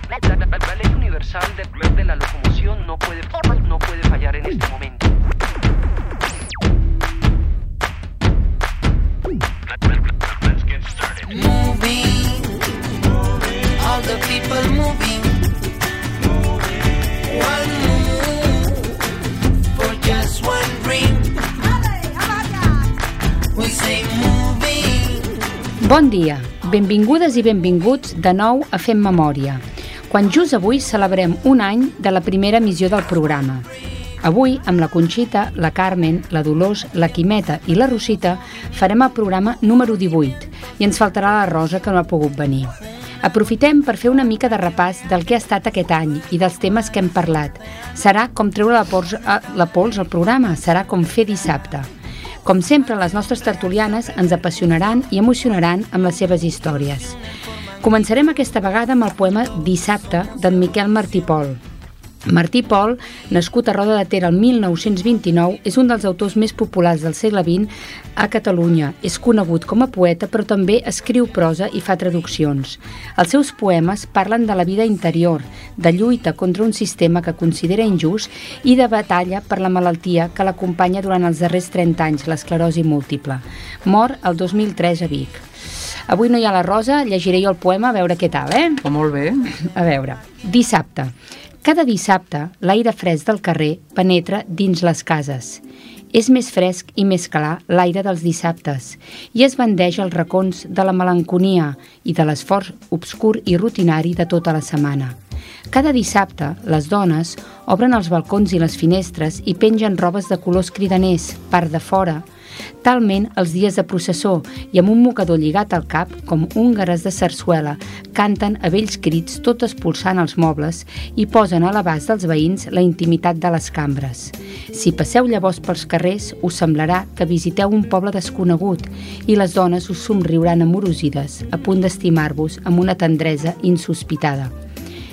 La ley universal de la locomoción no puede fallar en este momento. Moving, all the people moving. One move for just one dream. We say moving. Bon dia, benvingudes i benvinguts de nou a Fem Memòria, quan just avui celebrem un any de la primera emissió del programa. Avui, amb la Conxita, la Carmen, la Dolors, la Quimeta i la Rosita, farem el programa número 18 i ens faltarà la Rosa, que no ha pogut venir. Aprofitem per fer una mica de repàs del que ha estat aquest any i dels temes que hem parlat. Serà com treure la pols al programa, serà com fer dissabte. Com sempre, les nostres tertulianes ens apassionaran i emocionaran amb les seves històries. Començarem aquesta vegada amb el poema Dissabte d'en Miquel Martí Pol. Martí Pol, nascut a Roda de Ter el 1929, és un dels autors més populars del segle XX a Catalunya. És conegut com a poeta, però també escriu prosa i fa traduccions. Els seus poemes parlen de la vida interior, de lluita contra un sistema que considera injust i de batalla per la malaltia que l'acompanya durant els darrers 30 anys, l'esclerosi múltiple. Mor el 2003 a Vic. Avui no hi ha la Rosa, llegiré jo el poema, a veure què tal, Molt bé. A veure, dissabte. Cada dissabte, l'aire fresc del carrer penetra dins les cases. És més fresc i més clar l'aire dels dissabtes i es bandeix als racons de la melanconia i de l'esforç obscur i rutinari de tota la setmana. Cada dissabte, les dones obren els balcons i les finestres i pengen robes de colors cridaners, part de fora, talment els dies de processó i amb un mocador lligat al cap, com húngares de sarsuela, canten a vells crits tot expulsant els mobles i posen a l'abast dels veïns la intimitat de les cambres. Si passeu llavors pels carrers, us semblarà que visiteu un poble desconegut i les dones us somriuran amorosides, a punt d'estimar-vos amb una tendresa insospitada.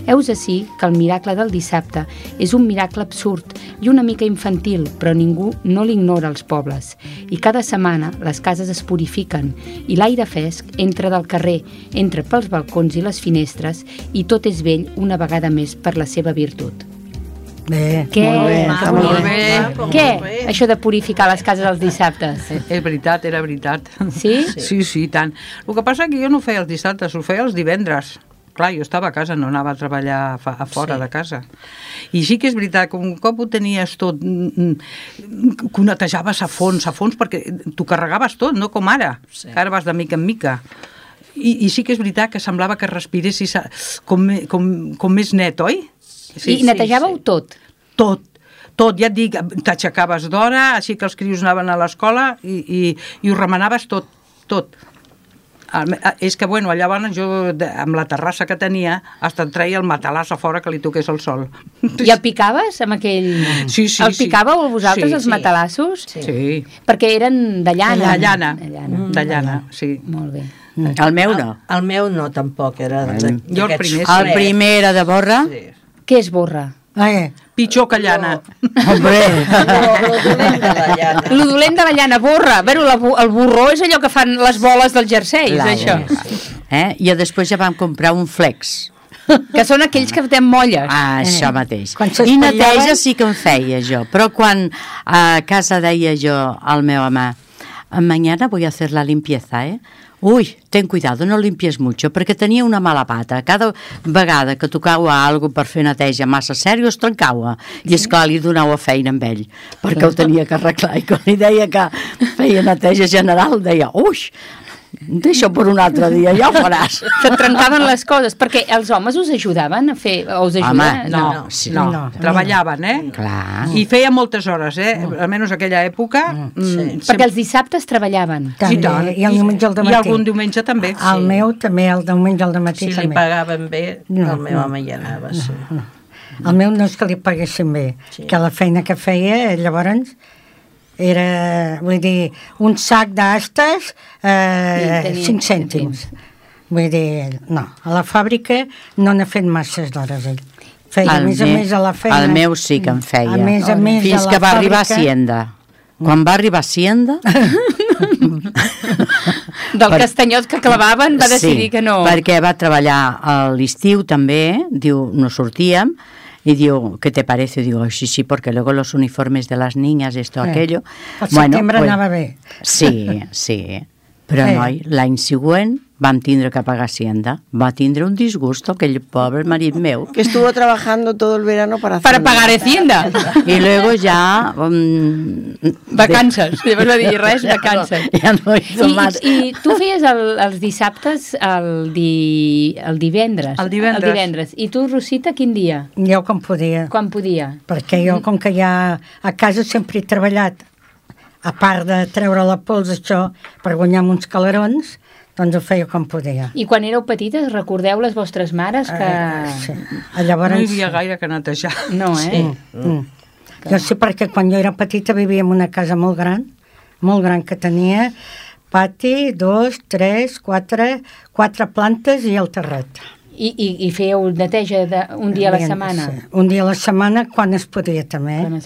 Heus ací que el miracle del dissabte és un miracle absurd i una mica infantil, però ningú no l'ignora als pobles. I cada setmana les cases es purifiquen i l'aire fresc entra del carrer, entra pels balcons i les finestres i tot és vell una vegada més per la seva virtut. Bé, Què? Molt bé. Què? Això de purificar les cases els dissabtes? És veritat, era veritat. Sí? Sí, tant. El que passa és que jo no ho feia els dissabtes, ho feia els divendres. Clar, jo estava a casa, no anava a treballar a fora de casa. I sí que és veritat que un cop ho tenies tot, que ho netejaves a fons, perquè t'ho carregaves tot, no com ara, que ara vas de mica en mica. I sí que és veritat que semblava que respiressis com més net, oi? Sí, I netejàveu tot? Tot, ja et dic, t'aixecaves d'hora, així que els crios anaven a l'escola i ho remenaves tot. És que, bueno, llavors jo, amb la terrassa que tenia, hasta et treia el matalàs a fora que li toqués el sol. I el picaves amb aquell... Sí. El picàveu vosaltres, els matalassos? Sí. Perquè eren de llana. De llana, sí. Molt bé. El meu no. El meu no, tampoc, era... Jo el primer, sí. El primer era de borra. Sí. Què és borra? Pitjor que llana. Hombre! Lo dolent de la llana, borra. Bueno, el borró és allò que fan les boles del jersei, és això. I després ja vam comprar un flex. Que són aquells que fem molles. Això mateix. I neteja sí que en feia jo, però quan a casa deia jo al meu home, mañana voy a hacer la limpieza, Uy, ten cuidado, no limpies mucho, perquè tenia una mala pata. Cada vegada que tocava algo per fer neteja massa sèrio es trencava. I esclar, li donava feina amb ell, perquè ho tenia que arreglar. I quan li deia que feia neteja general, deia, ui, deixa per un altre dia, ja ho faràs. Se't trencaven les coses, perquè els homes us ajudaven a fer... Us ajuden? Home, no. Treballaven, Clar. I feia moltes hores, almenys aquella època. Perquè els dissabtes treballaven. I tant. I el diumenge al matí. I algun diumenge també. El meu també, el diumenge al matí si també. Si li pagaven bé, el meu home hi anava, sí. El meu no és que li paguessin bé, que la feina que feia, llavors... era, vull dir, un sac d'astes 5 cèntims. Vull dir, no, a la fàbrica no n'ha fet masses d'hores ell. Feia a més a la feina. El meu sí que en feia. A més fins que va arribar a Hacienda. Quan va arribar a Hacienda Del castanyot que clavaven va decidir que no. Perquè va treballar a l'estiu també, diu, no sortíem, y digo, ¿qué te parece? Digo, sí, sí, porque luego los uniformes de las niñas, esto, aquello... El setembre anava bé. Sí, sí. Però, noi, l'any següent vam tindre que pagar Hacienda. Va tindre un disgusto, aquell pobre marit meu. Que estuvo trabajando todo el verano para pagar Hacienda. Y luego ya... vacances. Llavors va dir, res, vacances. Ja no hizo más. I tu feies els dissabtes el divendres. El divendres. I tu, Rosita, quin dia? Jo com podia. Quan podia? Perquè jo, com que ja a casa sempre he treballat, a part de treure la pols, això, per guanyar uns calarons, doncs ho feia com podia. I quan éreu petites, recordeu les vostres mares que... Sí. Llavors... No hi havia gaire que netejar. No, eh? Jo sé perquè quan jo era petita vivia en una casa molt gran que tenia pati, 2, 3, 4 plantes i el terrat. I fèieu neteja un dia a la setmana? Sí. Un dia a la setmana quan es podia també. Quan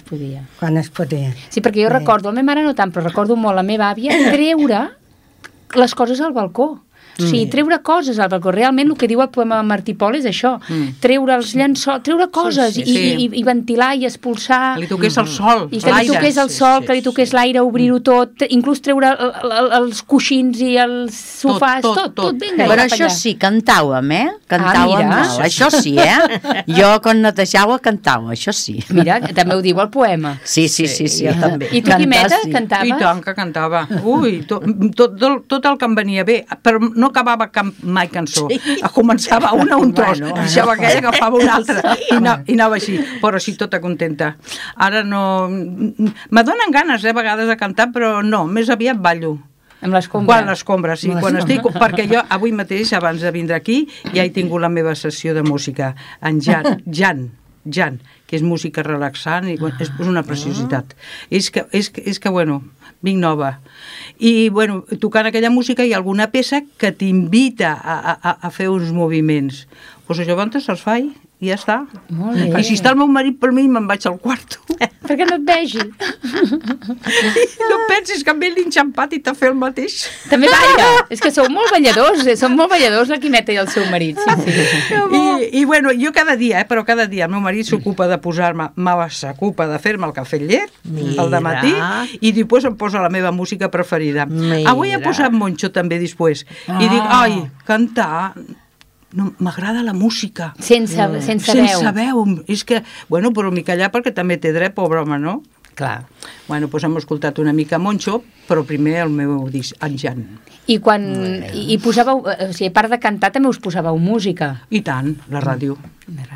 es podia. Sí, perquè jo recordo, la meva mare no tant, però recordo molt la meva àvia treure les coses al balcó. O sigui, treure coses al balcó. Realment el que diu el poema de Martí Pol és això, treure els llençols, treure coses i ventilar i expulsar. Que li toqués el sol, i que li toqués el sol, que li toqués l'aire, obrir-ho tot, inclús treure els coixins i els sofàs, tot. Però això sí, cantàvem, Cantàvem molt, això sí, Jo quan netejava cantava, això sí. Mira, també ho diu el poema. Sí, jo també. I tu, Quimeta, cantaves? I tant que cantava. Ui, tot el que em venia bé, però no acabava mai cançó. Començava una un tros, deixava aquella, agafava una altra i anava així, però així tota contenta. Ara no... Me donen ganes, a vegades, de cantar, però no, més aviat ballo. Amb l'escombra? Quan l'escombra, sí. Quan estic, perquè jo avui mateix, abans de vindre aquí, ja he tingut la meva sessió de música. En Jan, que és música relaxant i és una preciositat. És que bueno, vinc nova. I, bueno, tocant aquella música hi ha alguna peça que t'invita a fer uns moviments. Doncs això abans se'ls faig i ja està. Molt bé. I si està el meu marit per mi, me'n vaig al quarto. Perquè no et vegi. No pensis que amb ell l'enxampat i t'ha fet el mateix. També balla. És que sou molt balladors, són molt balladors la Quimeta i el seu marit. Sí. I bueno, jo cada dia, però cada dia el meu marit s'ocupa de s'ocupa de fer-me el cafè llet, el dematí, i després em posa la meva música preferida. Avui he posat Moncho també després. I dic, ai, cantar... No, m'agrada la música. Sense veu. Sense veu. És que, bueno, però m'hi callar perquè també té dret, pobre home, no? Clar. Bueno, doncs hem escoltat una mica Moncho, però primer el meu disc, en Jan. I quan... I posàveu... O sigui, a part de cantar, també us posàveu música. I tant, la ràdio.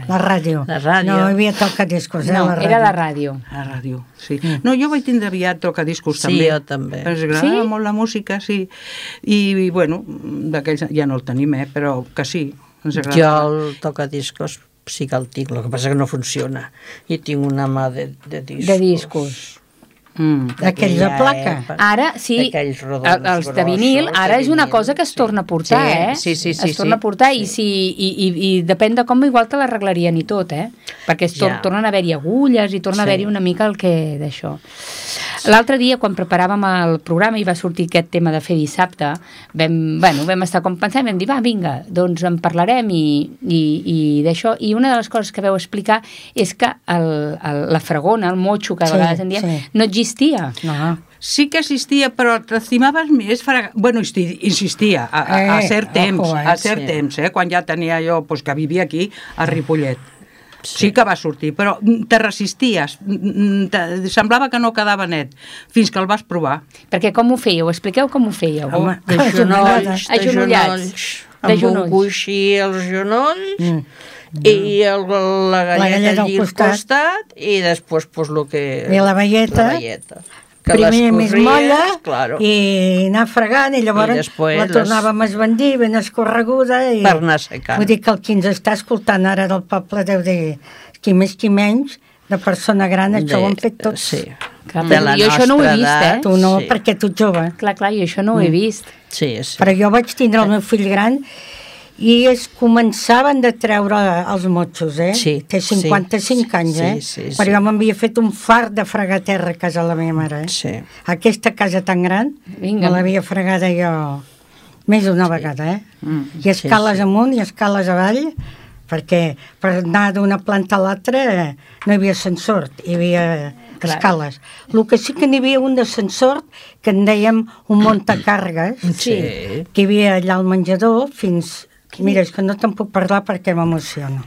La ràdio. No hi havia tocadiscos, no, era la ràdio. La ràdio, sí. No, jo vaig tindre aviat tocadiscos també. Sí, jo també. Ens agrada molt la música, sí. I bueno, d'aquells ja no el tenim, però que sí. Jo el tocadiscos sí que el tinc, el que passa que no funciona. I tinc una mà de discos. De discos. D'aquells de placa. Ara, sí, els de vinil, ara és una cosa que es torna a portar, Sí. Es torna a portar i depèn de com igual te l'arreglarien i tot, perquè tornen a haver-hi agulles i torna a haver-hi una mica el que d'això. L'altre dia, quan preparàvem el programa i va sortir aquest tema de fer dissabte, vam estar com pensant, vam dir, va, vinga, doncs en parlarem i d'això. I una de les coses que vau explicar és que la fregona, el motxo, que a vegades en diem, no existia. No. Sí que existia, però t'estimaves més bueno, insistia a cert temps, quan ja tenia jo, que vivia aquí, a Ripollet. Sí que va sortir, però te resisties, semblava que no quedava net, fins que el vas provar. Perquè com ho fèieu? Expliqueu com ho fèieu. De genolls, amb un coixí als genolls, i la galleta allí al costat, i després el que... I la velleta. Primer més molla i anar fregant i llavors la tornàvem a esbandir ben escorreguda i per anar secant. Vull dir que el qui ens està escoltant ara del poble deu dir qui més qui menys de persona gran això ho han fet tots. Sí. Clar, jo això no ho he vist, Tu no, perquè tu ets jove. Clar, jo això no ho he vist. Sí. Però jo vaig tindre el meu fill gran i es començaven de treure els motxos, Sí. Té 55 anys, Sí. Però jo m'havia fet un fart de fregar terra a casa de la meva mare, Sí. Aquesta casa tan gran, me l'havia fregada jo més d'una vegada, I escales amunt i escales avall, perquè per anar d'una planta a l'altra no hi havia ascensor, hi havia escales. El que sí que n'hi havia un d'ascensor que en dèiem un muntacàrregues, que hi havia allà al menjador fins... Mira, és que no te'n puc parlar perquè m'emociono.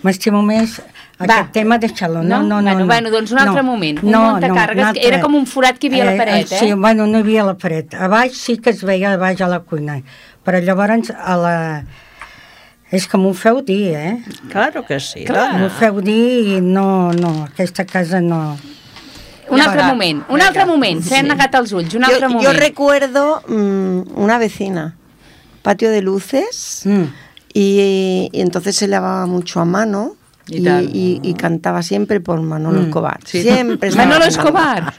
M'estimo més aquest tema, deixa-lo. No. Bueno, doncs un altre moment. Un muntacàrregues, que era com un forat que hi havia a la paret, Sí, bueno, no hi havia a la paret. A baix sí que es veia a baix a la cuina, però llavors a la... És que m'ho feu dir, Claro que sí. M'ho feu dir i no, aquesta casa no... Un altre moment, s'han negat els ulls, un altre moment. Yo recuerdo una vecina, patio de luces, y entonces se lavaba mucho a mano y cantaba siempre por Manolo Escobar. Sí. Siempre. Manolo Escobar.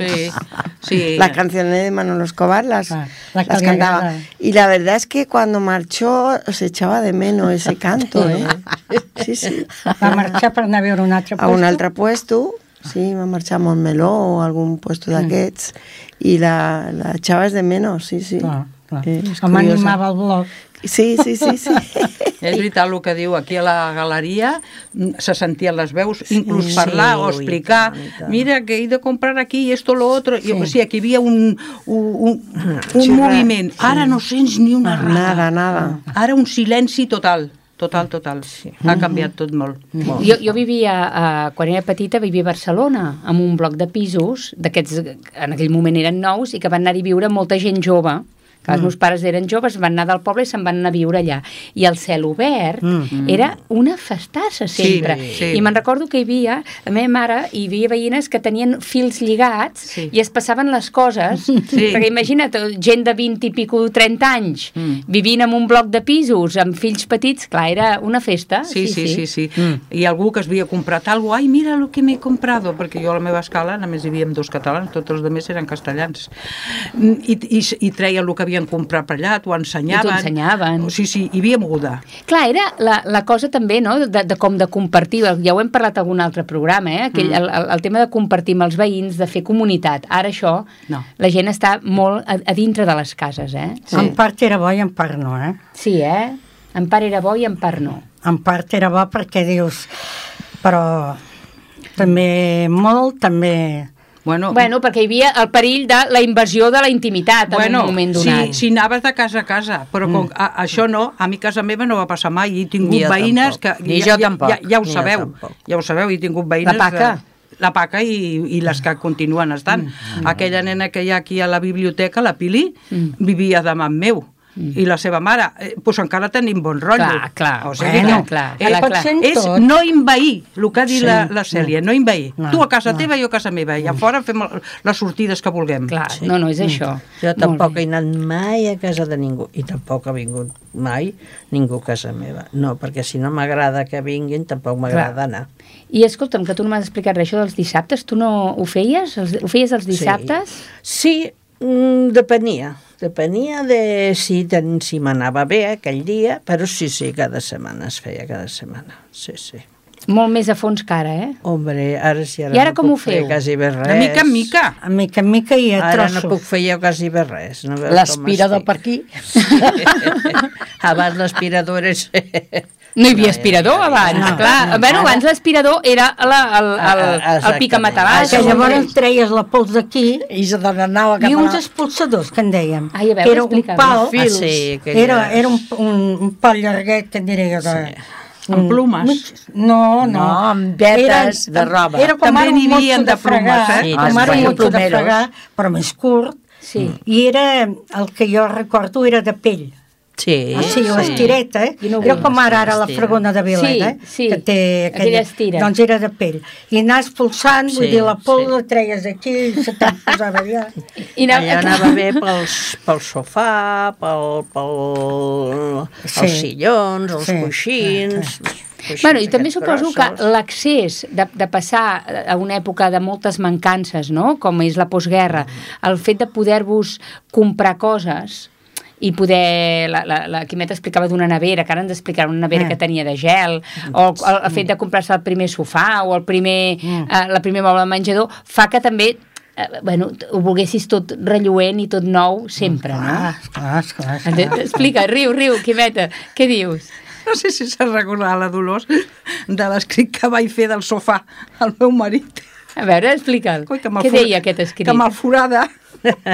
Sí. Las canciones de Manolo Escobar las cantaba. Y la verdad es que cuando marchó se echaba de menos ese canto, Sí. Va marxar per anar a veure un altre a un altre puesto, sí, va marxar a Montmeló o a algun puesto d'aquests, i la echaves de menos, sí. Clar. M'animava el blog. Sí. És veritat el que diu, aquí a la galeria se sentien les veus, inclús parlar o explicar, mira que he de comprar aquí esto, lo otro, o sigui, aquí hi havia un moviment. Ara no sents ni una rada. Nada. Ara un silenci total. Sí. Ha canviat tot molt. Jo vivia, quan era petita, vivia a Barcelona, amb un bloc de pisos, d'aquests, en aquell moment eren nous, i que van anar-hi a viure molta gent jove, que els meus pares eren joves, van anar del poble i se'n van anar a viure allà. I el cel obert era una festassa sempre. Sí. I me'n recordo que hi havia, la meva mare, hi havia veïnes que tenien fils lligats i es passaven les coses, perquè imagina't, gent de 20 i pico, 30 anys, vivint en un bloc de pisos, amb fills petits, clar, era una festa. Sí. I algú que es havia comprat alguna cosa, ai, mira el que m'he comprado, perquè jo a la meva escala només hi havia 2 catalans, tots els altres eren castellans. I treia el que havien comprat per allà, t'ho ensenyaven. I t'ho ensenyaven. Sí, hi havia moguda. Clar, era la cosa també, no?, de com de compartir, ja ho hem parlat en algun altre programa, el tema de compartir amb els veïns, de fer comunitat. Ara això, la gent està molt a dintre de les cases, Sí. En part era bo i en part no, Sí, en part era bo i en part no. En part era bo perquè dius, però també molt, també... Bueno, perquè hi havia el perill de la invasió de la intimitat en un moment donat. Si anaves de casa a casa, però això no, a mi casa meva no va passar mai, i he tingut veïnes que... Ni jo tampoc. Ja ho sabeu, he tingut veïnes... La Paca i les que continuen estant. Aquella nena que hi ha aquí a la biblioteca, la Pili, vivia davant meu. I la seva mare, doncs encara tenim bon rotllo. Clar. O sigui, és no envair, el que ha dit la Cèlia, no envair. Tu a casa teva i jo a casa meva, i a fora fem les sortides que vulguem. Clar, no, és això. Jo tampoc he anat mai a casa de ningú, i tampoc ha vingut mai ningú a casa meva. No, perquè si no m'agrada que vinguin, tampoc m'agrada anar. I escolta'm, que tu no m'has explicat res, això dels dissabtes, tu no ho feies? Ho feies els dissabtes? Sí, depenia de si m'anava bé aquell dia, però sí, cada setmana es feia, cada setmana, sí. Molt més a fons que ara, Hombre, ara sí, I ara com ho feu? Quasi bé res. De mica en mica. A mica en mica i a trossos. Ara no puc fer jo quasi bé res. L'aspirador per aquí. Abans l'aspirador era... No hi havia aspirador abans, clar. Abans l'aspirador era el picamatabàs. Que llavors treies la pols d'aquí i se n'anava cap a... I uns expulsadors, que en dèiem. Ai, a veure, era un pal, era un pal llarguet, que en diré jo, amb plumes? No, amb vetes de roba. Era com ara un motxo de fregar, com ara un motxo de fregar, però més curt, i era, el que jo recordo, era de pell. Sí, l'estireta, era com ara la fregona de Vilet, que té aquella estira. Doncs era de pell. I anar expulsant, vull dir, la pols la treies aquí i se te'n posava allà. Allà anava bé pel sofà, els sillons, els coixins... I també suposo que l'accés de passar a una època de moltes mancances, no?, com és la postguerra, el fet de poder-vos comprar coses... i poder, la Quimet explicava d'una nevera, que ara ens explicarà una nevera que tenia de gel, o el fet de comprar-se el primer sofà o la primer moble de menjador, fa que també bueno, ho volguessis tot relluent i tot nou sempre, no? Esclar. Explica, riu, Quimeta, què dius? No sé si s'ha recordat la Dolors de l'escrit que vaig fer del sofà al meu marit. A veure, explica'l. Què deia aquest escrit? Que me'l forada.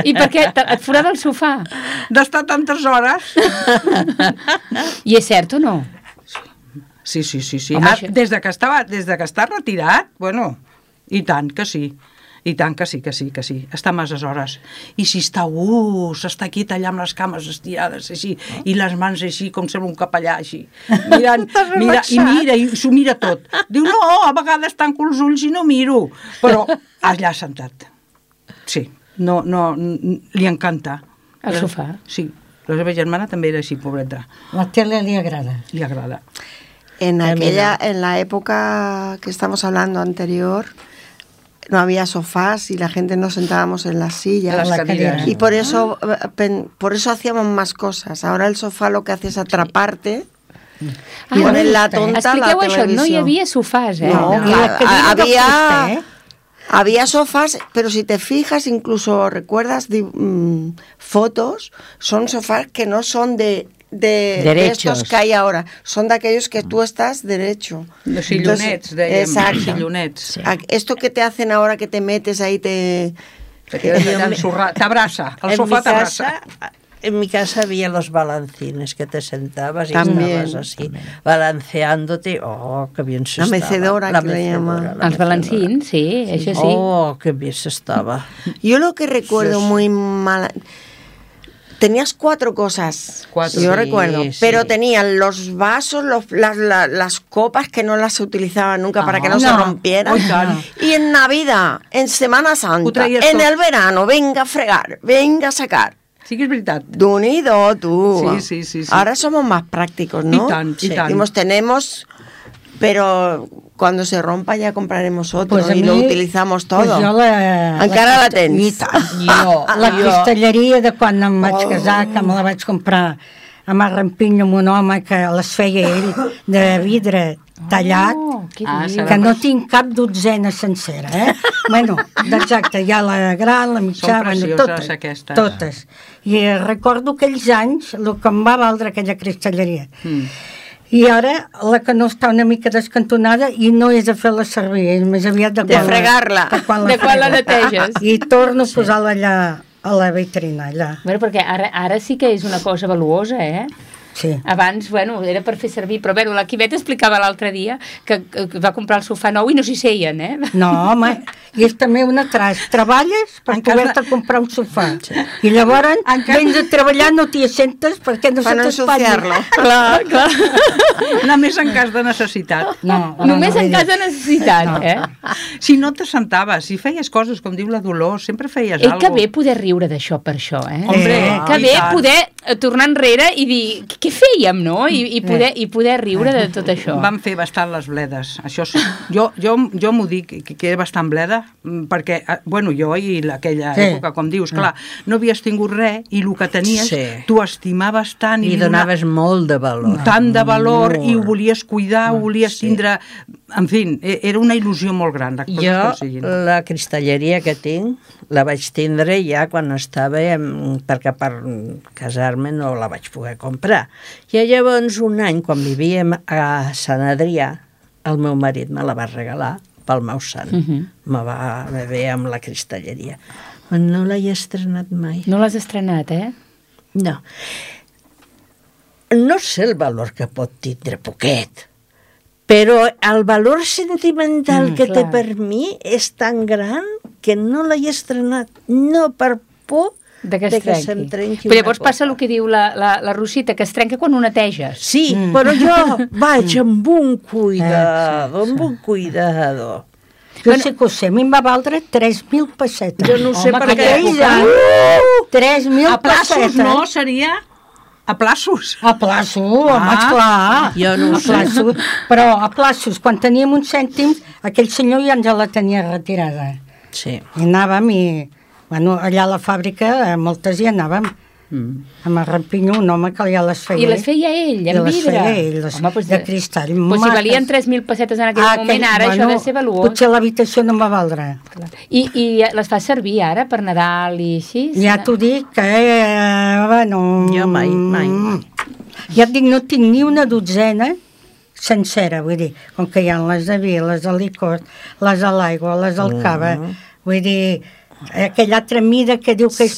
I per què? Et forada el sofà? D'estar tantes hores. I és cert o no? Sí. Home, des de que està retirat, bueno, i tant que sí. I tant que sí. Està masses hores. I si està s'està aquí tallant amb les cames estirades així, i les mans així, com sembla un capellà així. I s'ho mira tot. Diu, no, a vegades tanco els ulls i no miro. Però allà sentat. Sí, no, li encanta. El sofà? Sí. La seva germana també era així, pobreta. La tele li agrada. Li agrada. En la época que estamos hablando anterior, no había sofás y la gente nos sentábamos en las sillas. Y por eso hacíamos más cosas. Ahora el sofá lo que hace es atraparte y poner la tonta a la televisión. Això, no hi havia sofàs, No, había sofás, pero si te fijas, incluso recuerdas fotos, son sofás que no son de estos que hay ahora, son de aquellos que tú estás derecho. Los sillonets, exacto. Sillonets. Sí. Esto que te hacen ahora, que te metes ahí, t'abraça, el sofà t'abraça. En mi casa había los balancines, que te sentabas y estabas así, balanceándote. Oh, qué bien se estaba. La mecedora, que le llama. Els balancins, sí, això sí. Oh, qué bien se estaba. Yo lo que recuerdo muy mal... Tenías 4 cosas, yo recuerdo, pero tenían los vasos, las copas que no las utilizaban nunca para que no se rompieran. Y en Navidad, en Semana Santa, en el verano, venga a fregar, venga a sacar. Sí que és veritat. Unido, tú. Sí. Ahora somos más prácticos, ¿no? Y tant. Tenemos, pero cuando se rompa ya compraremos otro y lo utilizamos todo. Pues encara la tens. La cristalleria de quan em vaig casar, que me la vaig comprar amb el rampinyo amb un home que les feia ell, de vidre tallat, que no tinc cap dotzena sencera, Bueno, exacte, hi ha la gran, la mitjà, totes. I recordo aquells anys, el que em va valdre aquella cristalleria. I ara la que no està una mica descantonada i no és de fer-la servir, és més aviat de fregar-la. De quan la neteges. I torno a posar-la allà a la vitrina, allà. Bueno, perquè ara sí que és una cosa valuosa, Sí. Abans, bueno, era per fer servir, però bueno, la Quimeta explicava l'altre dia que va comprar el sofà nou i no s'hi seien, No, home, i és també una treballes per poder-te comprar un sofà. I llavors vens a treballar, no t'hi assentes perquè no se t'espatlla. Clar. Només en cas de necessitat. Només en cas de necessitat, Si no t'assentaves, si feies coses, com diu la Dolors, sempre feies alguna cosa. Que bé poder riure d'això per això, Hombre, que bé poder tornar enrere i dir, què fèiem, no? I poder riure de tot això. Vam fer bastant les bledes. Això sí. Jo m'ho dic, que era bastant bleda, perquè, bueno, jo i aquella època, com dius, clar, no havies tingut res i el que tenies, tu estimaves tant. I donaves molt de valor. Tant de valor, i ho volies cuidar, ho volies tindre... En fi, era una il·lusió molt gran. Jo, la cristalleria que tinc, la vaig tindre ja quan estava, perquè per casar-me no la vaig poder comprar. I llavors un any, quan vivíem a Sant Adrià, el meu marit me la va regalar pel meu sant. Me va bé amb la cristalleria. No l'he estrenat mai. No l'has estrenat, No. No sé el valor que pot tindre poquet, però el valor sentimental que té per mi és tan gran que no l'he estrenat, no per por de que se'm trenqui. Però llavors passa el que diu la Rosita, que es trenca quan ho neteges. Sí, però jo vaig amb un cuidado, Jo sé que ho sé, a mi em va valdre 3.000 pessetes. Jo no sé per què. 3.000 pessetes. A plaços, no? Seria... A plaços? A plaços, home, esclar. Jo no ho sé. Però a plaços, quan teníem uns cèntims, aquell senyor ja ens la tenia retirada. Sí. I anàvem i... Bueno, allà a la fàbrica, moltes hi anàvem. Amb el rampinyo, un home que ja les feia. I les feia ell, en vidre? I les feia ell, de cristall. Pues si valien 3.000 pessetes en aquell moment, ara això ha de ser valuós. Potser l'habitació no va valdre. I les fa servir ara per Nadal i així? Ja t'ho dic, bueno... Jo mai. Ja et dic, no tinc ni una dotzena sencera, vull dir, com que hi ha les de vi, les de licor, les de l'aigua, les del cava, vull dir, aquella altra mida que diu que és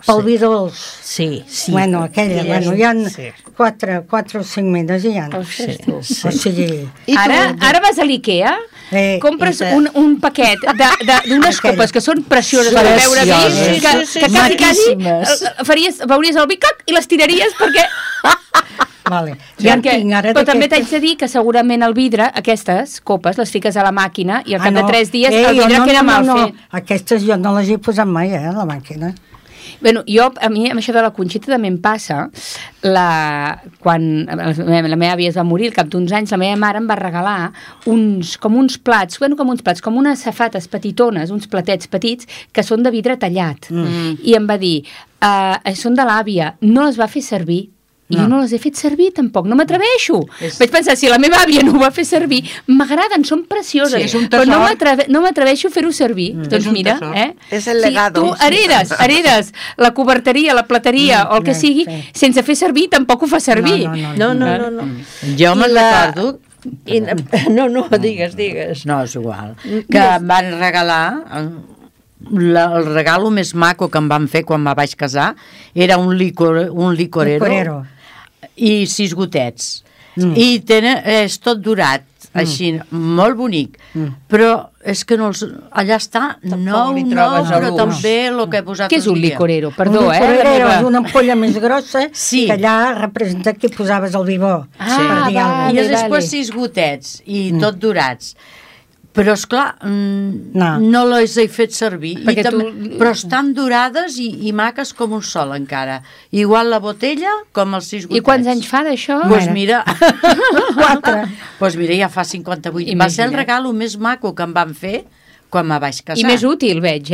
pel vi dolç. Sí. Bueno, aquella, hi ha 4 o 5 mides i hi ha. O sigui... Ara vas a l'IKEA, compres un paquet d'unes copes que són precioses per beure vi, que quasi veuries el vi i les tiraries perquè... Vale. Però també t'haig de dir que segurament el vidre, aquestes copes, les fiques a la màquina i al cap de 3 dies el vidre queda mal fet. Aquestes jo no les he posat mai, a la màquina. Bueno, a mi, amb això de la Conxita també em passa, quan la meva àvia es va morir, al cap d'uns anys, la meva mare em va regalar com uns plats, com unes safates petitones, uns platets petits, que són de vidre tallat. I em va dir, són de l'àvia, no les va fer servir. I jo no les he fet servir tampoc, no m'atreveixo. Vaig pensar, si la meva àvia no ho va fer servir, m'agraden, són precioses, però no m'atreveixo a fer-ho servir. Doncs mira, és el legado. Tu heredes la coberteria, la plateria o el que sigui, sense fer servir, tampoc ho fa servir. No. Jo me'n recordo... No, digues. No, és igual. Que em van regalar... El regalo més maco que em van fer quan me vaig casar era un licorero i 6 gotets i és tot durat així, molt bonic però és que allà està però també el que he posat. Què és un licorero? Perdó, un licorero és una ampolla més grossa que allà representa que posaves el vi bo i després 6 gotets i tot durats. Però, esclar, no les he fet servir. Però estan durades i maques com un sol, encara. Igual la botella com els 6 gotets. I quants anys fa d'això? Doncs mira... 4. Doncs mira, ja fa 58. Va ser el regalo més maco que em van fer quan me vaig casar. I més útil, veig,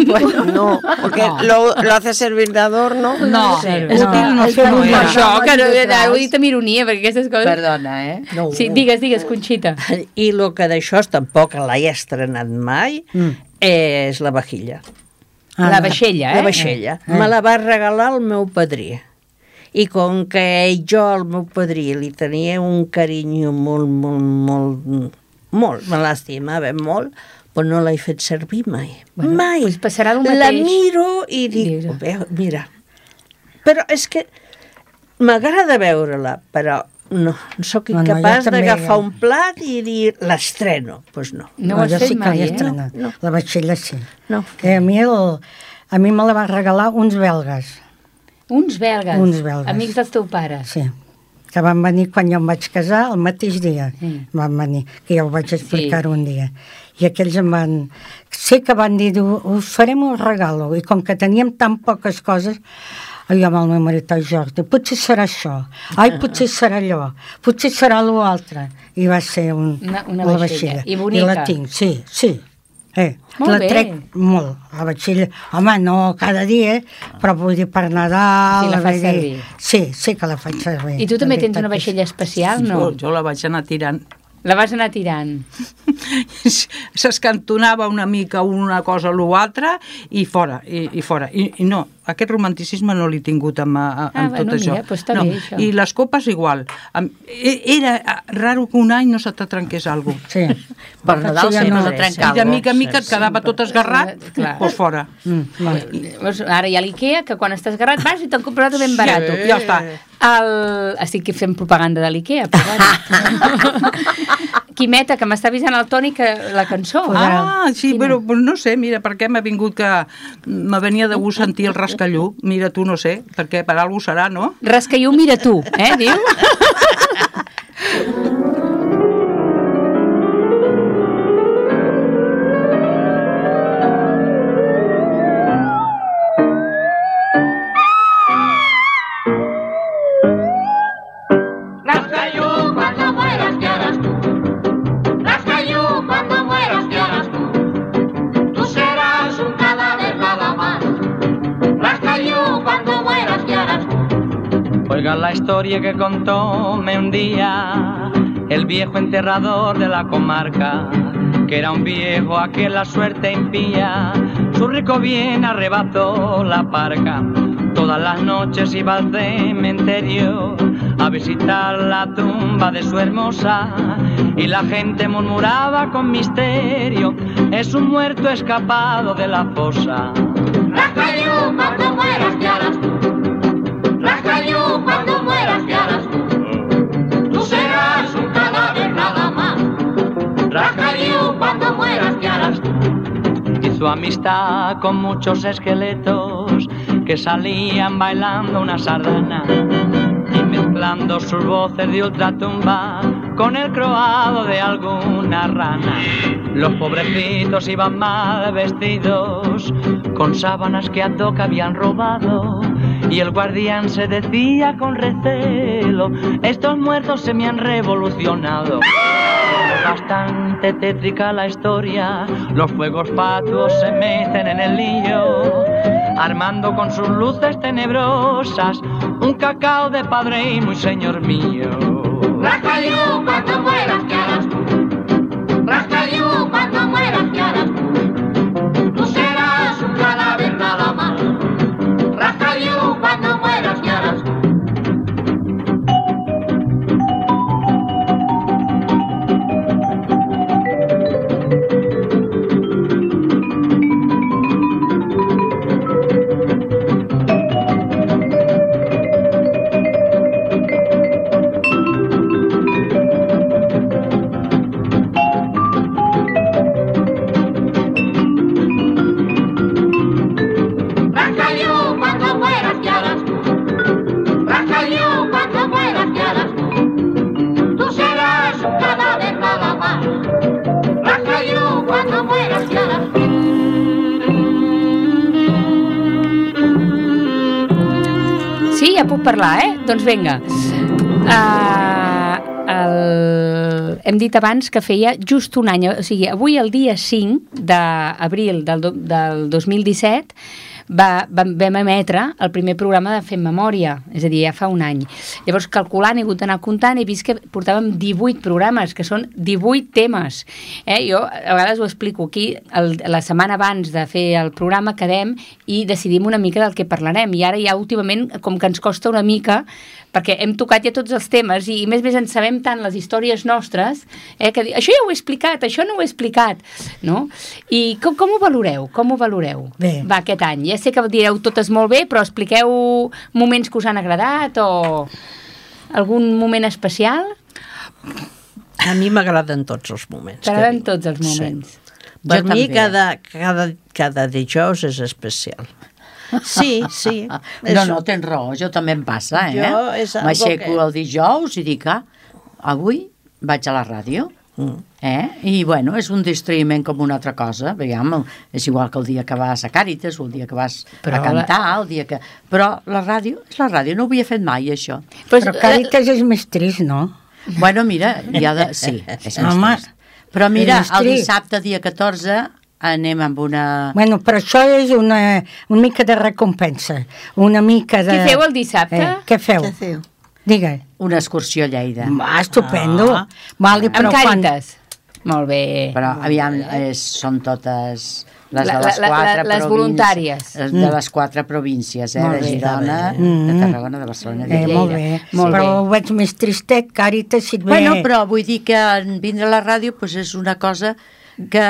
Bueno, no, porque lo hace servir de adorno. No, útil no sé. Això, que ho he dit amb ironia, perquè aquestes coses... Perdona, Sí, digues, Conxita. I el que d'això tampoc l'he estrenat mai és la vajilla. La vaixella, La vaixella. Me la va regalar el meu padrí. I com que el meu padrí, li tenia un carinyo molt, me l'estimava molt, però no l'he fet servir mai. Mai. Pues passarà el mateix. La miro i dic, mira, però és que m'agrada veure-la, però no sóc incapaç d'agafar un plat i dir, l'estreno. Doncs no. No ho has fet mai, No. La vaixella sí. No. A mi me la va regalar uns belgues. Uns belgues? Uns belgues. Amics dels teus pares? Sí. Que van venir quan jo em vaig casar, el mateix dia van venir, que ja ho vaig explicar un dia. I aquells em van... Sé que van dir, us farem un regalo, i com que teníem tan poques coses, jo amb el meu marit, Jordi, potser serà això, potser serà allò, potser serà l'altre. I va ser una vaixella. I bonica. I la tinc, sí. Molt bé. Trec molt, la vaixella. Home, no cada dia, però vull dir per Nadal... I la fas servir. Sí que la faig servir. I tu també tens una vaixella especial, no? Jo la vaig anar tirant. La vas anar tirant. S'escantonava una mica una cosa o l'altra i fora. I no, aquest romanticisme no l'he tingut amb tot això. Mira, pues està bé, això. I les copes igual. Era raro que un any no se te trenqués alguna cosa. Sí. Per Nadal sempre se trenca. I de mica en mica et quedava tot esgarrat, doncs fora. Ara hi ha l'IKEA, que quan estàs esgarrat vas i te'n compres ben barat. Ja està. Estic fent propaganda de l'IKEA, però bueno. Quimeta, que m'està avisant el Toni que la cançó. Sí, però no sé, mira, per què m'ha vingut que me venia de gust sentir el rascallú. Mira tu, no sé, perquè per algú serà, no? Rascallú, mira tu, diu? Tú serás un cadáver nada más. Oiga la historia que contóme un día el viejo enterrador de la comarca, que era un viejo a quien la suerte impía, su rico bien arrebató la parca. Todas las noches iba al cementerio a visitar la tumba de su hermosa, y la gente murmuraba con misterio: es un muerto escapado de la fosa. Rascayú, cuando mueras, ¿qué harás tú? Rascayú, cuando mueras, ¿qué harás tú? Tú serás un cadáver nada más. Rascayú, cuando mueras, ¿qué harás tú? Hizo amistad con muchos esqueletos que salían bailando una sardana y mezclando sus voces de ultratumba con el croado de alguna rana. Los pobrecitos iban mal vestidos, con sábanas que a toca habían robado, y el guardián se decía con recelo: estos muertos se me han revolucionado. Bastante tétrica la historia, los fuegos fatuos se meten en el lío, armando con sus luces tenebrosas un cacao de padre y muy señor mío. Rascayú, cuando mueras, ¿qué harás tú? Rascayú, cuando mueras, ¿qué harás tú? Tú serás un cadáver nada más. Rascayú, cuando mueras, ¿qué harás tú? Sí, ja puc parlar, Doncs vinga. Hem dit abans que feia just un any, o sigui, avui el dia 5 d'abril del 2017 vam emetre el primer programa de Fem Memòria, és a dir, ja fa un any. Llavors, calculant, he hagut d'anar comptant, he vist que portàvem 18 programes, que són 18 temes. Jo a vegades ho explico aquí, la setmana abans de fer el programa quedem i decidim una mica del que parlarem, i ara ja últimament com que ens costa una mica, perquè hem tocat ja tots els temes i més ens sabem tant les històries nostres, que això ja ho he explicat, això no ho he explicat, no? I com ho valoreu? Com ho valoreu? Bé. Va, aquest any. Ja sé que direu totes molt bé, però expliqueu moments que us han agradat o algun moment especial? A mi m'agraden tots els moments. T'agraden tots els moments. Sí. Per mi cada dijous és especial. Sí. No, tens raó, jo també em passa, M'aixeco el dijous i dic, avui vaig a la ràdio, i bueno, és un distraïment com una altra cosa, és igual que el dia que vas a Càritas o el dia que vas a cantar, el dia que... Però la ràdio és la ràdio, no ho havia fet mai, això. Però Càritas és més trist, no? Bueno, mira, sí, és més trist. Però mira, el dissabte, dia 14... anem amb una... Bueno, però això és una mica de recompensa, una mica de... Què feu el dissabte? Què feu? Digue. Una excursió a Lleida. Estupendo. Vale, amb Càritas. Molt bé. Però, aviam, són totes les de les quatre les voluntàries. De les 4 províncies, de Girona, de Tarragona, de Barcelona, de Lleida. Molt bé. Però ho veig més tristet, Càritas, si et ve... Bueno, però vull dir que vindre a la ràdio és una cosa que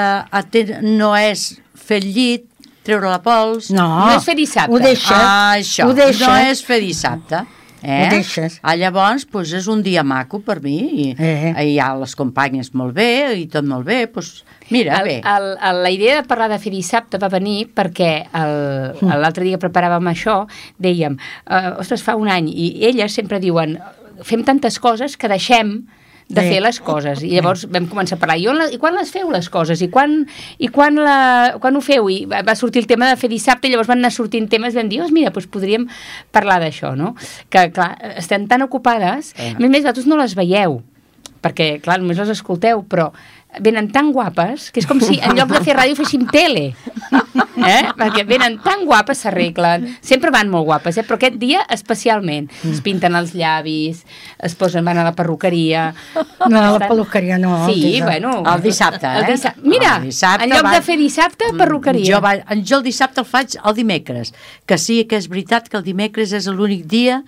no és fer el llit, treure la pols... No és fer dissabte. Ho deixes. Això, no és fer dissabte. Ho deixes. Llavors, és un dia maco per mi, i hi ha les companyes molt bé, i tot molt bé, mira, bé. La idea de parlar de fer dissabte va venir perquè l'altre dia que preparàvem això, dèiem, ostres, fa un any, i elles sempre diuen, fem tantes coses que deixem de fer les coses, i llavors vam començar a parlar i quan les feu les coses, i quan ho feu, i va sortir el tema de fer dissabte, i llavors van anar sortint temes, vam dir, mira, podríem parlar d'això, no? Que clar, estem tan ocupades, a més vosaltres no les veieu, perquè, clar, només les escolteu, però venen tan guapes que és com si en lloc de fer ràdio féssim tele. Perquè venen tan guapes, s'arreglen. Sempre van molt guapes, però aquest dia especialment. Es pinten els llavis, van a la perruqueria. No, a la perruqueria no. Sí, bueno. El dissabte, Mira, en lloc de fer dissabte, perruqueria. Jo el dissabte el faig el dimecres, que sí que és veritat que el dimecres és l'únic dia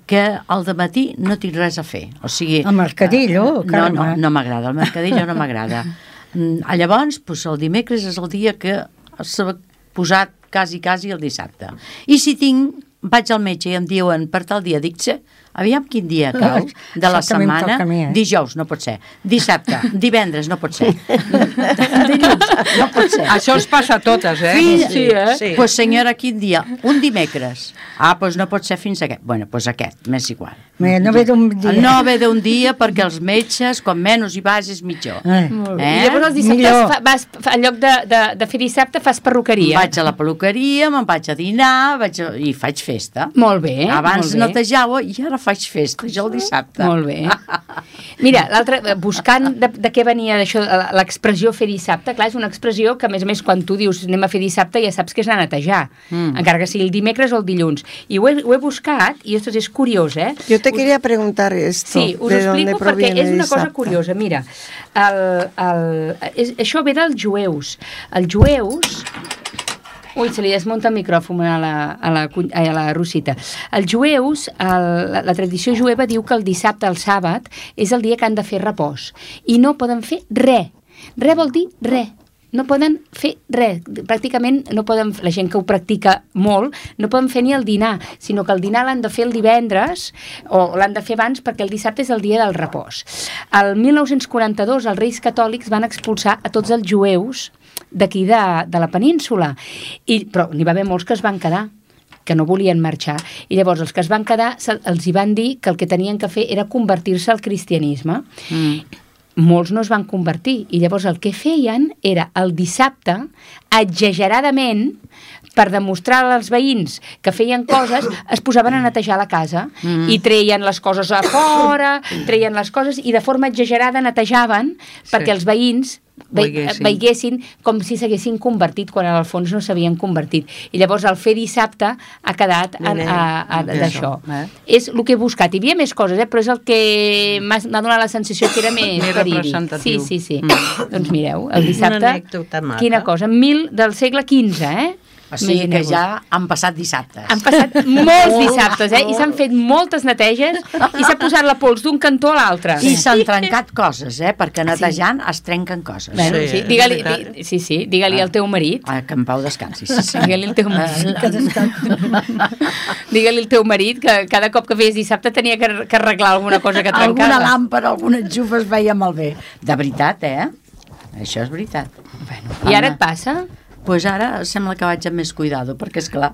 que al dematí no tinc res a fer. O sigui, el mercadillo, carme. No m'agrada, el mercadillo no m'agrada. Llavors, doncs, el dimecres és el dia que s'ha posat quasi el dissabte. I si vaig al metge i em diuen per tal dia, dic, aviam quin dia cau de la setmana, dijous no pot ser, dissabte, divendres no pot ser, dilluns no pot ser. Això es passa a totes, Sí. Pues senyora, quin dia? Un dimecres. Doncs no pot ser fins aquest. Bueno, doncs aquest, m'és igual. No ve d'un dia. No ve d'un dia perquè els metges, com menys hi vas, és millor. I llavors els dissabtes, en lloc de fer dissabte, fas perruqueria. Vaig a la perruqueria, me'n vaig a dinar i faig festa. Molt bé. Abans netejava i ara faig festa, jo el dissabte. Molt bé. Mira, l'altre, buscant de què venia d'això, l'expressió fer dissabte, clar, és una expressió que, a més, quan tu dius anem a fer dissabte, ja saps que és anar a netejar, encara que sigui el dimecres o el dilluns. I ho he buscat, i esto és curiós, Jo te quería preguntar esto. Sí, us ho explico perquè és una cosa curiosa. Mira, això ve dels jueus. Els jueus... Ui, se li desmunta el micròfon a la Rosita. Els jueus, la tradició jueva diu que el dissabte, el sàbat, és el dia que han de fer repòs. I no poden fer res. Res vol dir res. No poden fer res. Pràcticament no poden, la gent que ho practica molt, no poden fer ni el dinar, sinó que el dinar l'han de fer el divendres o l'han de fer abans perquè el dissabte és el dia del repòs. El 1942 els reis catòlics van expulsar a tots els jueus d'aquí de la península, però n'hi va haver molts que es van quedar, que no volien marxar, i llavors els que es van quedar els hi van dir que el que tenien que fer era convertir-se al cristianisme. Molts no es van convertir, i llavors el que feien era el dissabte, exageradament, per demostrar als veïns que feien coses, es posaven a netejar la casa i treien les coses a fora, treien les coses i de forma exagerada netejaven perquè els veïns veiessin com si s'haguessin convertit quan al fons no s'havien convertit. I llavors el fer dissabte ha quedat d'això. És el que he buscat. Hi havia més coses, però és el que m'ha donat la sensació que era més representatiu. Sí. Doncs mireu, el dissabte, quina cosa, del segle XV, O sigui que ja han passat dissabtes. Han passat molts dissabtes, I s'han fet moltes neteges i s'ha posat la pols d'un cantó a l'altre. I s'han trencat coses, perquè netejant es trenquen coses. Bueno, digue-li al teu marit. Que en pau descansi. Digue-li al teu marit. Digue-li al teu marit que cada cop que feies dissabte tenia que arreglar alguna cosa que trencava. Alguna làmpara, alguna enxufa es veia malbé. De veritat, Això és veritat. I ara et passa? Doncs ara sembla que vaig amb més cuidado, perquè, esclar,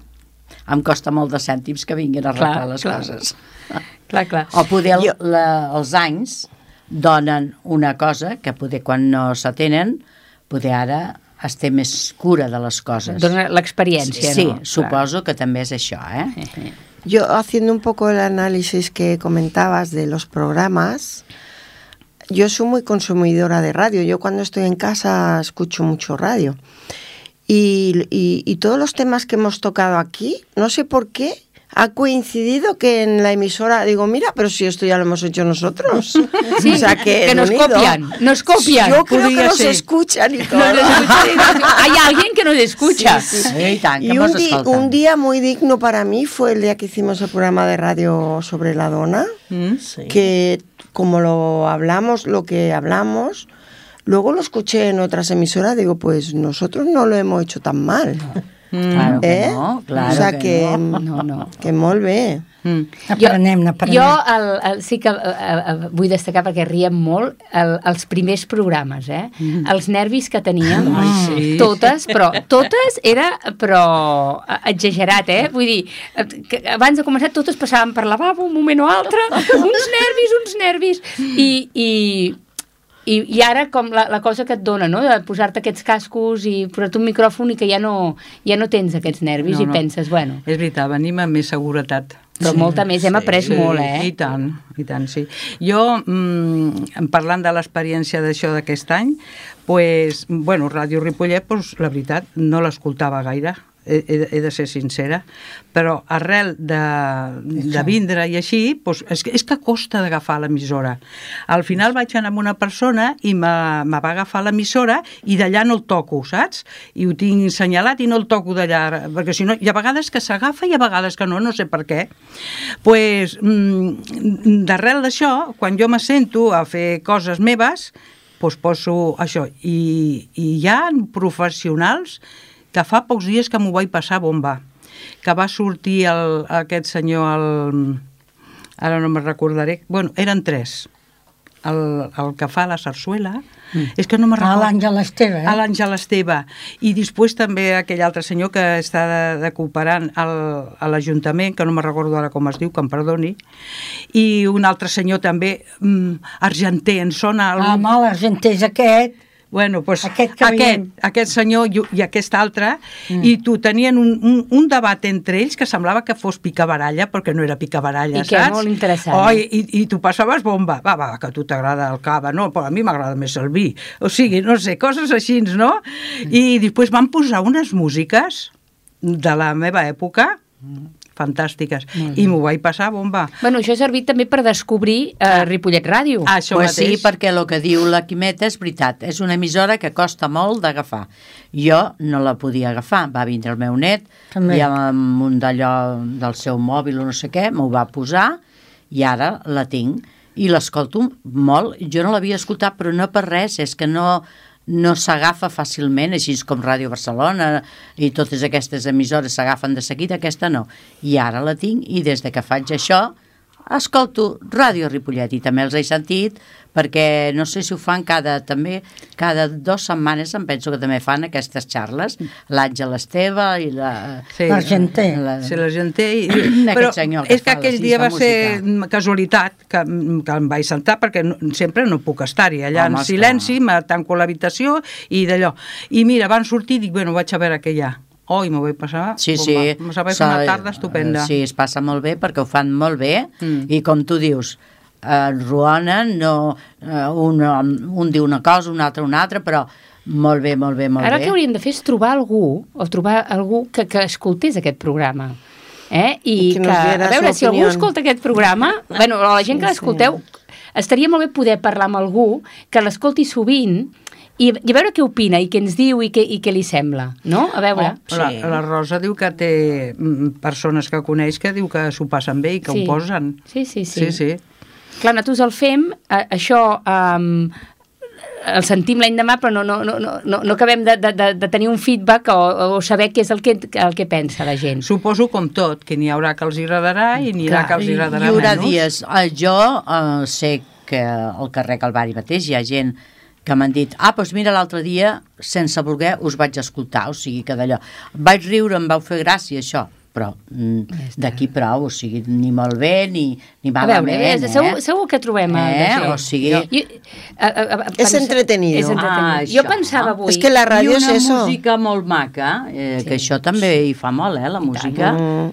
em costa molt de cèntims que vinguin a arreglar les coses. Clar. O poder els anys donen una cosa que poder quan no s'atenen, poder ara es té més cura de les coses. Dona l'experiència, sí, no? Suposo que també és això, Yo, haciendo un poco el análisis que comentabas de los programas, yo soy muy consumidora de radio. Yo cuando estoy en casa escucho mucho radio. Y todos los temas que hemos tocado aquí, no sé por qué, ha coincidido que en la emisora digo, mira, pero si esto ya lo hemos hecho nosotros. Sí, o sea, que nos copian. Yo creo que nos escuchan y todo. Hay alguien que nos escucha. Sí. Y un día muy digno para mí fue el día que hicimos el programa de radio sobre la dona, que como lo que hablamos, luego lo escuché en otras emisoras, digo, pues nosotros no lo hemos hecho tan mal. Claro que no, claro, o sea que molt bé. N'aprenem. Jo sí que vull destacar, perquè riem molt, els primers programes, els nervis que teníem, totes era exagerat, vull dir, que abans de començar totes passàvem per lavabo un moment o altre, uns nervis, i ara com la cosa que et dona, no?, de posar-te aquests cascos i posar-te un micròfon i que ja no tens aquests nervis i penses, bueno... És veritat, venim amb més seguretat. Però molta més, hem après molt, I tant, sí. Jo, parlant de l'experiència d'això d'aquest any, Ràdio Ripollet, la veritat, no l'escoltava gaire, he de ser sincera, però arrel de vindre i així, és que costa d'agafar l'emissora. Al final vaig anar amb una persona i me va agafar l'emissora i d'allà no el toco, saps? I ho tinc assenyalat i no el toco d'allà, perquè si no, hi ha vegades que s'agafa i hi ha vegades que no sé per què. D'arrel d'això, quan jo me sento a fer coses meves, poso això. I hi ha professionals que fa pocs dies que m'ho vaig passar bomba, que va sortir aquest senyor, ara no me'n recordaré, eren 3, el que fa la sarsuela, és que no me'n recordo. L'Àngel Esteve. L'Àngel Esteve. I després també aquell altre senyor que està de cooperant a l'Ajuntament, que no me'n recordo ara com es diu, que em perdoni, i un altre senyor també, argenter, en sona... L'argenter és aquest... Aquest senyor i aquest altre, i tu tenien un debat entre ells que semblava que fos picabaralla, perquè no era picabaralla, saps? I que era molt interessant. I tu passaves bomba. Va, que a tu t'agrada el cava, no? Però a mi m'agrada més el vi. O sigui, no sé, coses així, no? I després van posar unes músiques de la meva època, fantàstiques, i m'ho vaig passar bomba. Això ha servit també per descobrir Ripollet Ràdio. Això mateix. Sí, perquè el que diu la Quimeta és veritat, és una emissora que costa molt d'agafar. Jo no la podia agafar, va vindre el meu net, i amb un d'allò del seu mòbil o no sé què, m'ho va posar, i ara la tinc, i l'escolto molt. Jo no l'havia escoltat, però no per res, és que no s'agafa fàcilment, així com Ràdio Barcelona i totes aquestes emissores s'agafen de seguida, aquesta no. I ara la tinc i des de que faig això escolto Ràdio Ripollet i també els he sentit perquè no sé si ho fan cada 2 setmanes, em penso que també fan aquestes xarles, l'Àngel Esteve i l'Argenter. Sí, l'Argenter. Però és que aquell dia va ser casualitat que em vaig sentar perquè sempre no puc estar-hi. Allà en silenci, me tanco a l'habitació i d'allò. I mira, van sortir i dic, vaig a veure què hi ha. I m'ho vaig passar bomba. M'ho vaig fer una tarda estupenda. Sí, es passa molt bé perquè ho fan molt bé i com tu dius, ruonen, un diu una cosa, un altre, però molt bé. Ara que hauríem de fer és trobar algú que escoltés aquest programa. I que, a veure, si algú escolta aquest programa, la gent que l'escolteu, estaria molt bé poder parlar amb algú que l'escolti sovint i a veure què opina i què ens diu i què li sembla, no? A veure. La Rosa diu que té persones que coneix que diu que s'ho passen bé i que ho posen. Sí. Clar, nosaltres el fem, això el sentim l'endemà, però no acabem de tenir un feedback o saber què és el que pensa la gent. Suposo com tot, que n'hi haurà que els agrada i n'hi haurà que els agradarà menys. Hi haurà dies. Jo sé que al carrer Calvari mateix hi ha gent que m'han dit, doncs mira, l'altre dia, sense voler, us vaig escoltar, o sigui que d'allò. Vaig riure, em vau fer gràcia, això, però d'aquí prou, o sigui, ni molt bé, ni malament. Segur que trobem o sigui... És entretenido. Jo pensava avui... És que la ràdio és això. I una música molt maca, que això també hi fa molt, la música.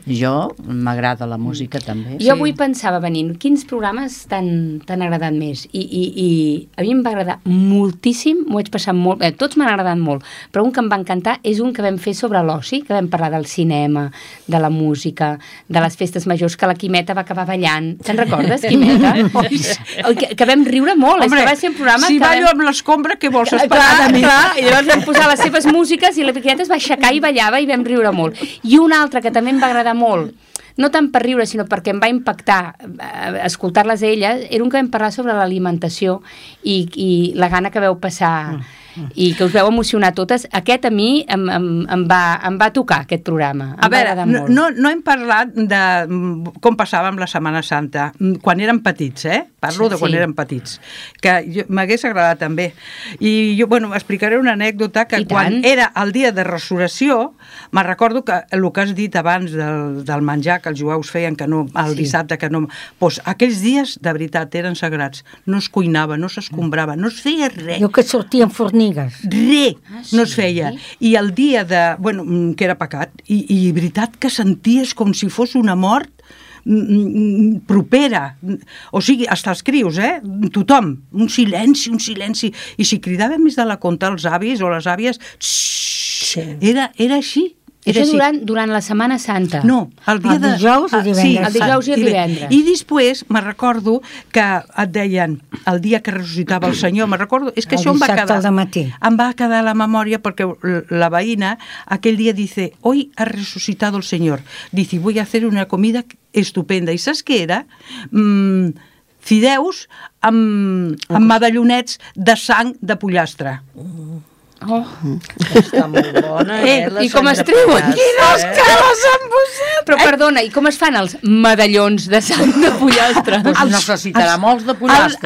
Jo m'agrada la música també. Jo avui pensava venint, quins programes t'han agradat més? I a mi em va agradar moltíssim, m'ho vaig passar molt... Tots m'han agradat molt, però un que em va encantar és un que vam fer sobre l'oci, que vam parlar del cinema, de la música, de les festes majors, que la Quimeta va acabar ballant. Te'n recordes, Quimeta? Que vam riure molt. Home, va ser un programa si ballo amb l'escombra, què vols esperar de mi? I llavors vam posar les seves músiques i la Quimeta es va aixecar i ballava i vam riure molt. I un altre que també em va agradar molt, no tant per riure, sinó perquè em va impactar escoltar-les a elles, era un que vam parlar sobre l'alimentació i la gana que veu passar i que us veu emocionar totes. Aquest a mi em va tocar, aquest programa. A veure, no hem parlat de com passàvem la Setmana Santa, quan érem petits, Parlo de quan érem petits, que m'hagués agradat també. I jo, explicaré una anècdota que quan era el dia de resurrecció, me'n recordo que el que has dit abans del menjar que els jueus feien, que no, el dissabte que no... Doncs aquells dies, de veritat, eren sagrats. No es cuinava, no s'escombrava, no es feia res. Jo que sortien fornilles. Res no es feia. I el dia de... que era pecat, i veritat que senties com si fos una mort, propera. O sigui, hasta els crios, tothom, un silenci. I si cridaven més de la compte els avis o les àvies, era així. Això durant la Setmana Santa. No, el dia el dijous i divendres. Sí, el dijous i el divendres. I després me recordo que et deien el dia que ressuscitava el Senyor, me recordo, és que el això em va quedar. al matí. Em va quedar a la memòria perquè la veïna aquell dia dice, hoy ha resucitado el Señor. Dice, voy a hacer una comida estupenda. I saps què era? Fideus amb medallonets de sang de pollastre. Està molt bona, I com es treuen? Quines cares han posat! Però perdona, i com es fan els medallons de sang de pollastre? Pues necessitarà molts de pollastre.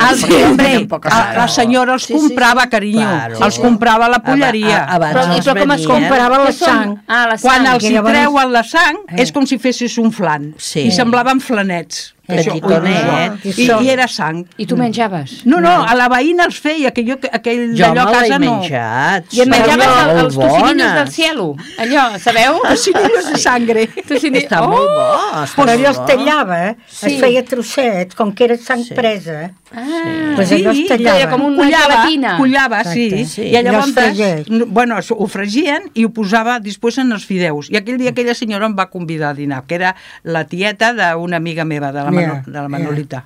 La senyora els comprava, carinyo. Els comprava a la polleria. Però com es comprava la sang? Quan els hi treuen la sang és com si fessis un flan. I semblaven flanets. I era sang. I tu menjaves? No, a la veïna els feia, aquell d'allò a casa no. Menjat. I et menjaves els tocinillos del cielo, allò, sabeu? Tocinillos de sangre. Està molt bo. Però allò es tallava, es feia trosset, com que era sang presa. Pues allò es tallava. Com una gelatina. Collava, sí. I llavors, bueno, ho fregien i ho posava després en els fideus. I aquell dia aquella senyora em va convidar a dinar, que era la tieta d'una amiga meva, de la Manolita.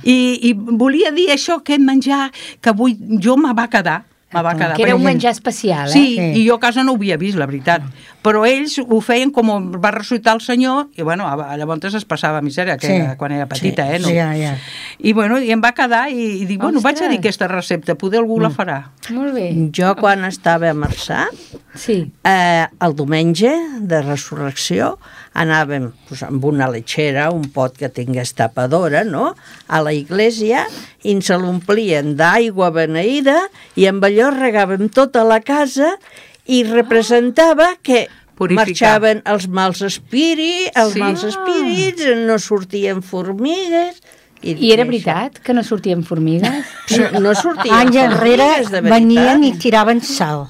I volia dir això, aquest menjar, que avui jo me va quedar. Que era un menjar especial, Sí, i jo a casa no ho havia vist, la veritat. Però ells ho feien com va ressuscitar el Senyor, i bueno, llavors es passava misèria, quan era petita, no? I bueno, i em va quedar, i dic, bueno, vaig a dir aquesta recepta, poder algú la farà. Molt bé. Jo, quan estava a Marçà, el diumenge de Resurrecció, anàvem amb una letxera, un pot que tingués tapadora, no?, a la iglesia, i ens l'omplien d'aigua beneïda, i amb allò regàvem tota la casa, i representava que marxaven els mals espírits, no sortien formigues. I era veritat que no sortien formigues? No sortien anys enrere venien i tiraven sal.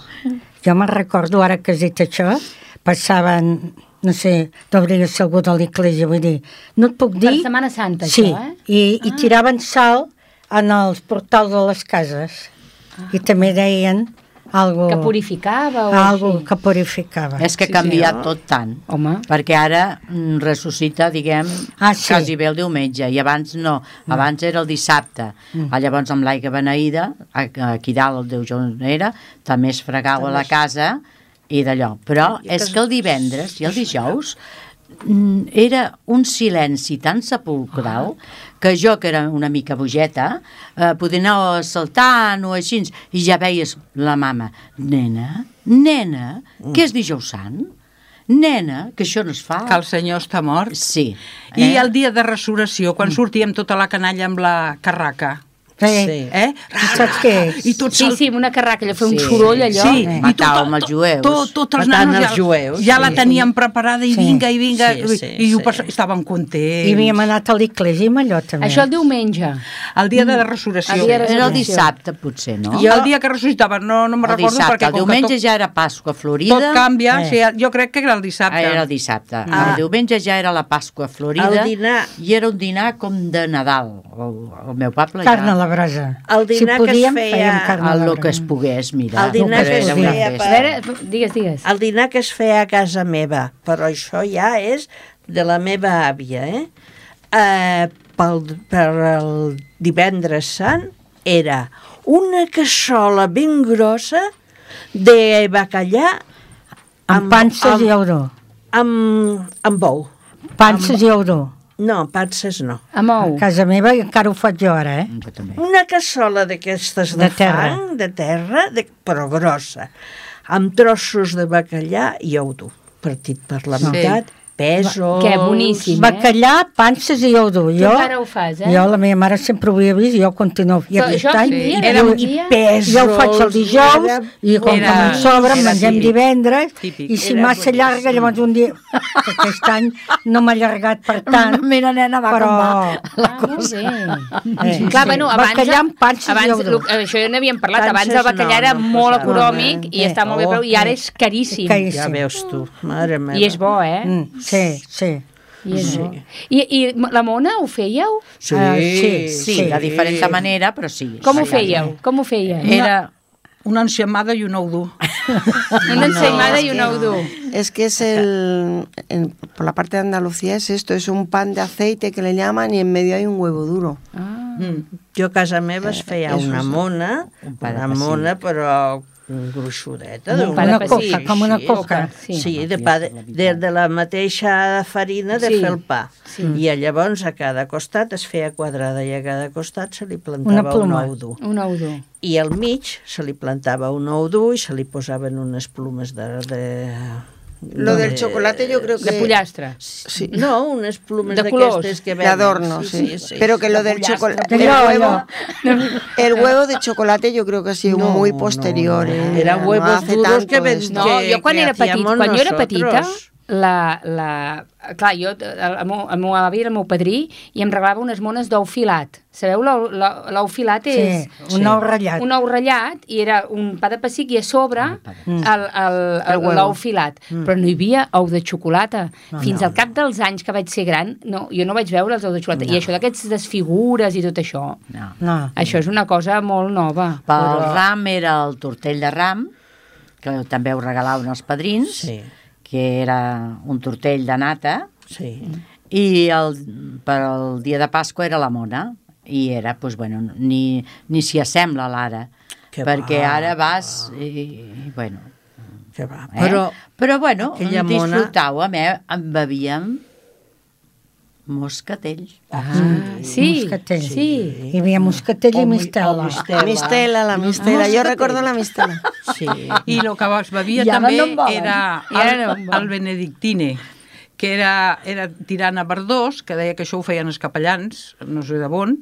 Jo me'n recordo, ara que has dit això, passaven, no sé, d'obrir ser algú de l'església, vull dir, no et puc dir... Per Setmana Santa, això, i tiraven sal en els portals de les cases. I també deien algo que purificava o algo que purificava. És que ha canviat tot tant. Home. Perquè ara ressuscita, diguem, quasi bé el diumenge, i abans no. Abans era el dissabte. Llavors amb l'aigua beneïda, aquí dalt el Déu Jonera, també es fregava a la casa i d'allò. Però és que el divendres i el dijous era un silenci tan sepulcral que jo, que era una mica bogeta, podia anar saltant o així, i ja veies la mama, nena, que és dijous sant? Nena, que això no es fa. Que el Senyor està mort. Sí. I el dia de resurrecció, quan sortíem tota la canalla amb la carraca, Saps què és? I tot sí, amb una carraca, allò, fer un soroll allò. Sí, matàvem els jueus. Tots els nanos ja la teníem preparada i vinga, i estaven contents. I havíem anat a l'església amb allò també. Això el diumenge. El dia de la resurrecció. Era el dissabte, potser, no? I el dia que ressuscitava, no me'n recordo perquè... El diumenge ja era Pasqua Florida. Tot canvia, jo crec que era el dissabte. Era el dissabte. El diumenge ja era la Pasqua Florida i era un dinar com de Nadal. El meu poble ja... Carn a la brasa. El dinar que es feia... El que es pogués, mira. El dinar que es feia... Digues. El dinar que es feia a casa meva, però això ja és de la meva àvia, per el divendres sant era una cassola ben grossa de bacallà amb panses i auró. Amb bou. Panses i auró. No, panses no. Amb ou. A casa meva encara ho faig jo ara, Una cassola d'aquestes de fang, de terra, però grossa, amb trossos de bacallà i ou dur, partit per la meitat, pèsols... Que boníssim, Bacallà, panses i ou dur. Tu encara ho fas, Jo, la meva mare sempre ho havia vist i jo continuo. I aquest any... I pèsols... Jo ho faig el dijous i com que me'n sobra, mengem divendres i si massa llarga, llavors un dia... Aquest any no m'ha allargat per tant. Mira, nena, va com va la cosa. Clar, bueno, abans... Bacallà amb panses i ou dur. Això ja n'havíem parlat. Abans el bacallà era molt econòmic i està molt bé, però i ara és caríssim. Ja veus tu, mare meva. I és bo, Sí. I la mona ho fèieu? Sí, de diferent manera, però sí. Com ho fèieu? Era una ensaïmada i un ou dur. Una ensaïmada y un ou dur. Es que es por la parte de Andalucía es esto, es un pan de aceite que le llaman y en medio hay un huevo duro. Jo a casa meva es feia una mona, però gruixudeta. Una coca, com una coca. Sí, de la mateixa farina de fer el pa. I llavors a cada costat es feia quadrada i a cada costat se li plantava un ou dur. Un ou dur. I al mig se li plantava un ou dur i se li posaven unes plumes de Lo del chocolate yo creo que... De pollastre. Sí. No, unes plumes de d'aquestes que venen. De adorno, sí. Pero que lo del chocolate... El huevo de chocolate yo creo que ha sido muy posterior. Eran huevos duros que ven... No, jo quan jo era petita, clar, jo, el meu avi era el meu padrí i em regalava unes mones d'ou filat. Sabeu, l'ou filat és... Sí, un ou ratllat. Un ou ratllat i era un pa de pessic i a sobre l'ou filat. Però no hi havia ou de xocolata. Fins al cap dels anys que vaig ser gran, jo no vaig veure els ous de xocolata. I això d'aquests desfigures i tot això, això és una cosa molt nova. Pel ram era el tortell de ram, que també ho regalaven els padrins, que era un tortell de nata, i per al dia de Pasqua era la mona, i era, doncs, bueno, ni s'hi assembla l'ara, perquè ara vas i bueno... Però, bueno, disfrutàvem, en bevíem moscatell. Sí. Hi havia moscatell i mistela. La mistela. Jo recordo la mistela. I el que es bevia també era el benedictine, que era tirant a verdós, que deia que això ho feien els capellans, no sé de on,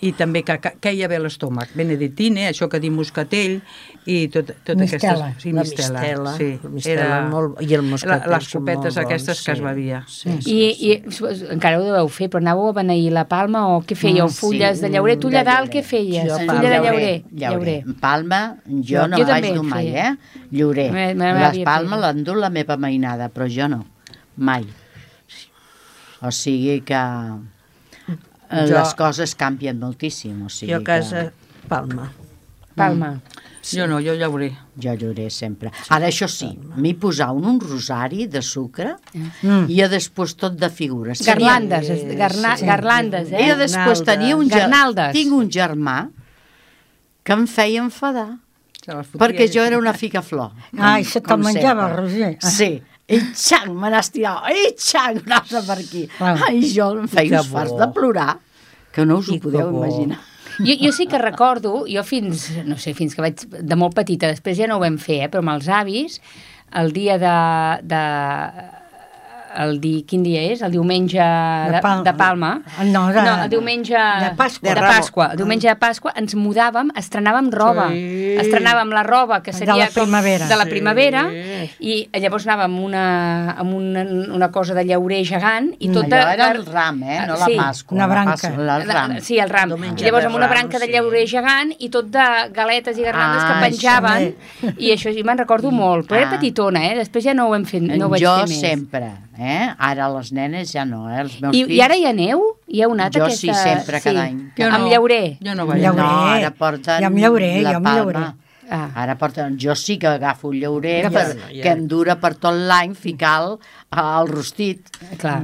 i també que queia bé l'estómac. Benedictine, això que diu moscatell, i tot aquestes... Sí, mistela. I el moscatell. Les copetes aquestes que es bevia. I encara ho deveu fer, però anàveu a beneir la palma o què fèieu? Fulles de llaurer? Tu allà dalt què feies? Fulla de llaurer. Palma, jo no vaig dur mai, llaurer. Les palmes l'han dut la meva mainada, però jo no. Mai. O sigui que les coses canvien moltíssim. Jo a casa, palma. Jo no, jo llaurer. Jo llaurer sempre. Ara, això sí, m'hi posava un rosari de sucre i després tot de figures. Garlandes, I després tinc un germà que em feia enfadar perquè jo era una ficaflor. Això te'l menjava, Roger. Sí. I xang, me n'has tirat, i xang, anava per aquí. Ai, jo em feia uns farts de plorar, que no us ho podeu imaginar. Jo sí que recordo, jo fins que vaig de molt petita, després ja no ho vam fer, però amb els avis, el dia quin dia és? El diumenge de Palma? No, el diumenge de Pasqua. El diumenge de Pasqua ens mudàvem, estrenàvem roba. Estrenàvem la roba que seria de la primavera i llavors anàvem amb una cosa de llaurer gegant i tot allò era el ram, no la Pasqua. Una branca. Sí, el ram. I llavors amb una branca de llaurer gegant i tot de galetes i garlandes que penjaven i això sí me'n recordo molt, però era petitona, després ja no ho vaig fer més. Jo sempre. Ara les nenes ja no, els meus fills... I ara hi aneu? Hi heu anat aquesta... Jo sí, sempre, cada any. Amb llaurer? Jo no vaig. No, ara porten la palma. Ara porten... Jo sí que agafo el llaurer que em dura per tot l'any ficar al rostit,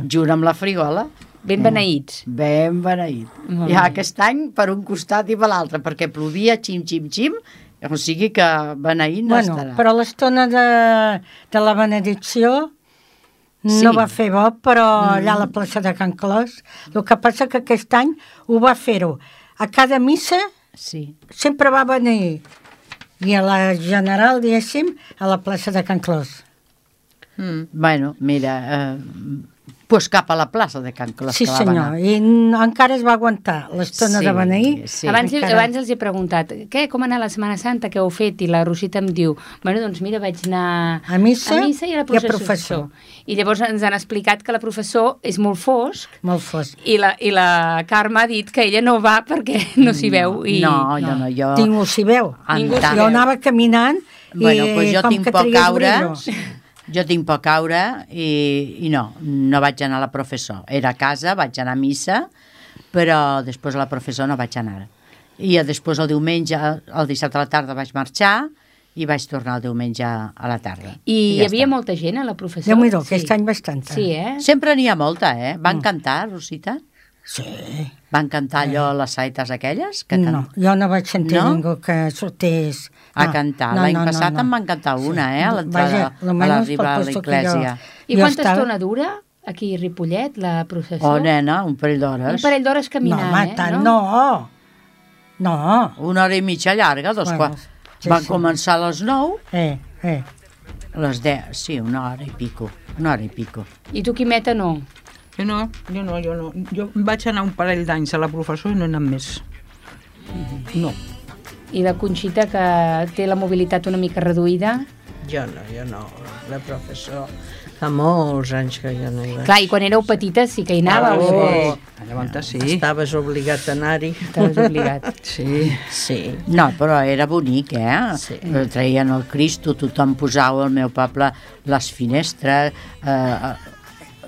junt amb la frigola. Ben beneïts. Ben beneït. I aquest any per un costat i per l'altre, perquè plovia xim, xim, xim, o sigui que beneït no estarà. Però l'estona de la benedicció... No va fer bo, però allà a la plaça de Can Clos. El que passa que aquest any ho va fer-ho. A cada missa sempre va venir. I a la general, diguéssim, a la plaça de Can Clos. Bueno, mira... Pues cap a la plaça de Can Clos. Sí, senyor, i encara es va aguantar l'estona de beneir. Abans els he preguntat, com anar a la Setmana Santa, què heu fet? I la Rosita em diu, bueno, doncs mira, vaig anar a missa i a la professor. I llavors ens han explicat que la professor és molt fosc. Molt fosc. I la Carme ha dit que ella no va perquè no s'hi veu. No, jo... Ningú s'hi veu. Jo anava caminant i jo tinc por caure... Jo tinc por caure i no vaig anar a la professor. Era a casa, vaig anar a missa, però després a la professor no vaig anar. I després el diumenge, el dissabte a la tarda vaig marxar i vaig tornar el diumenge a la tarda. I hi havia molta gent a la professor? Déu-n'hi-do, aquest any bastanta. Sí, Sempre n'hi ha molta, Van cantar, Rosita? Sí. Van cantar allò, les saites aquelles? No, jo no vaig sentir ningú que sortés a cantar. L'any passat en van cantar una, a l'entrada, a l'arribar a l'església. I quanta estona dura aquí a Ripollet, la processó? Oh, nena, un parell d'hores. Un parell d'hores caminant, no, tant, no. Una hora i mitja llarga, quarts. Van començar a les 9. A les 10, sí, una hora i pico. I tu, Quimeta, no? Jo no. Jo vaig anar un parell d'anys a la professor i no he anat més. No. I la Conxita, que té la mobilitat una mica reduïda? Jo no. La professor... Fa molts anys que jo no hi vaig. Clar, i quan éreu petites sí que hi anàveu. Sí. Estaves obligat a anar-hi. Estaves obligat. Sí. No, però era bonic, Sí. Traien el Cristo, tothom posava al meu poble les finestres,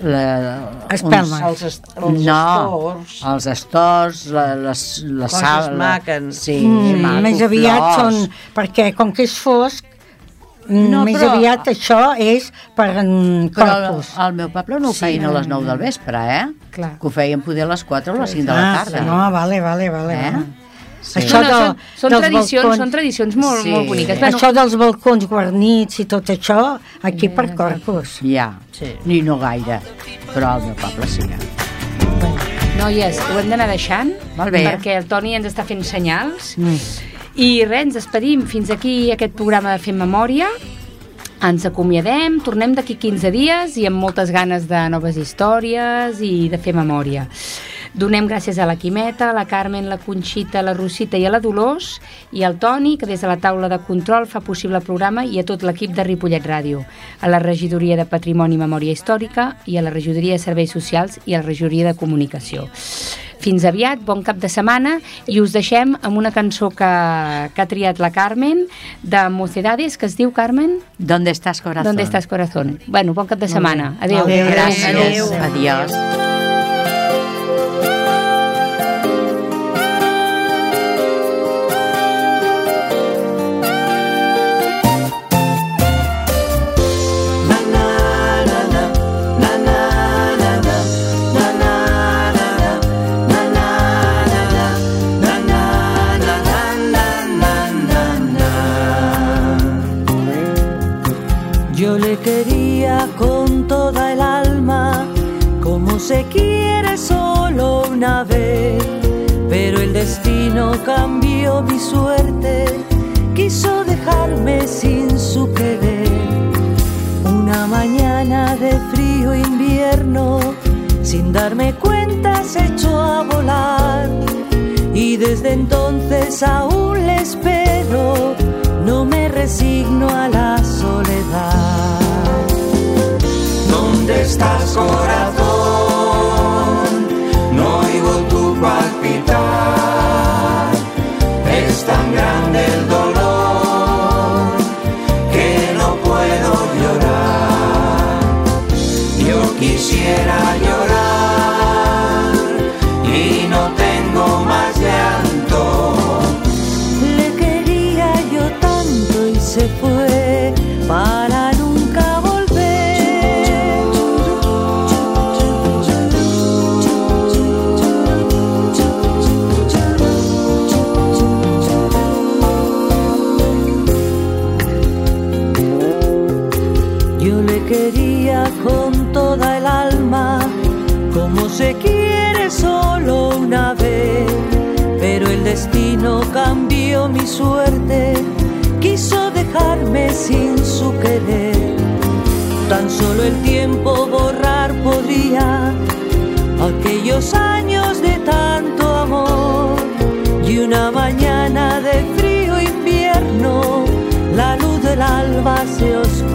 Espelmes. Els estors, les coses maques. Sí, més aviat són, perquè com que és fosc, més aviat això és per corpus. Al meu poble no ho feien a les 9 del vespre, Clar. Que ho feien poder a les 4 o a les 5 de la tarda. No, vale. Sí. Això són tradicions molt boniques. Això dels balcons guarnits i tot això, aquí per corpus. Ja, ni no gaire, però al meu poble sí. Noies, ho hem d'anar deixant, molt bé, perquè el Toni ens està fent senyals. I res, ens despedim. Fins aquí aquest programa de Fem Memòria. Ens acomiadem, tornem d'aquí 15 dies i amb moltes ganes de noves històries i de fer memòria. Donem gràcies a la Quimeta, a la Carmen, la Conxita, a la Rosita i a la Dolors, i al Toni, que des de la taula de control fa possible el programa, i a tot l'equip de Ripollet Ràdio, a la Regidoria de Patrimoni i Memòria Històrica i a la Regidoria de Serveis Socials i a la Regidoria de Comunicació. Fins aviat, bon cap de setmana, i us deixem amb una cançó que ha triat la Carmen, de Mocedades, que es diu, Carmen? ¿Dónde estás, corazón? ¿Dónde estás, corazón? Bueno, bon cap de setmana. Adéu. Gràcies. Adiós. Yo le quería con toda el alma, como se quiere solo una vez, pero el destino cambió mi suerte, quiso dejarme sin su querer. Una mañana de frío invierno, sin darme cuenta se echó a volar, y desde entonces aún le espero, no me resigno a la soledad. ¿Dónde estás, corazón? No oigo tu palpitar. Es tan grande el dolor que no puedo llorar. Yo quisiera llorar y no tengo más llanto. Se fue para nunca volver. Yo le quería con toda el alma, como se quiere solo una vez, pero el destino cambió mi suerte, quiso dejarme sin su querer. Tan solo el tiempo borrar podría aquellos años de tanto amor. Y una mañana de frío invierno, la luz del alba se oscureció.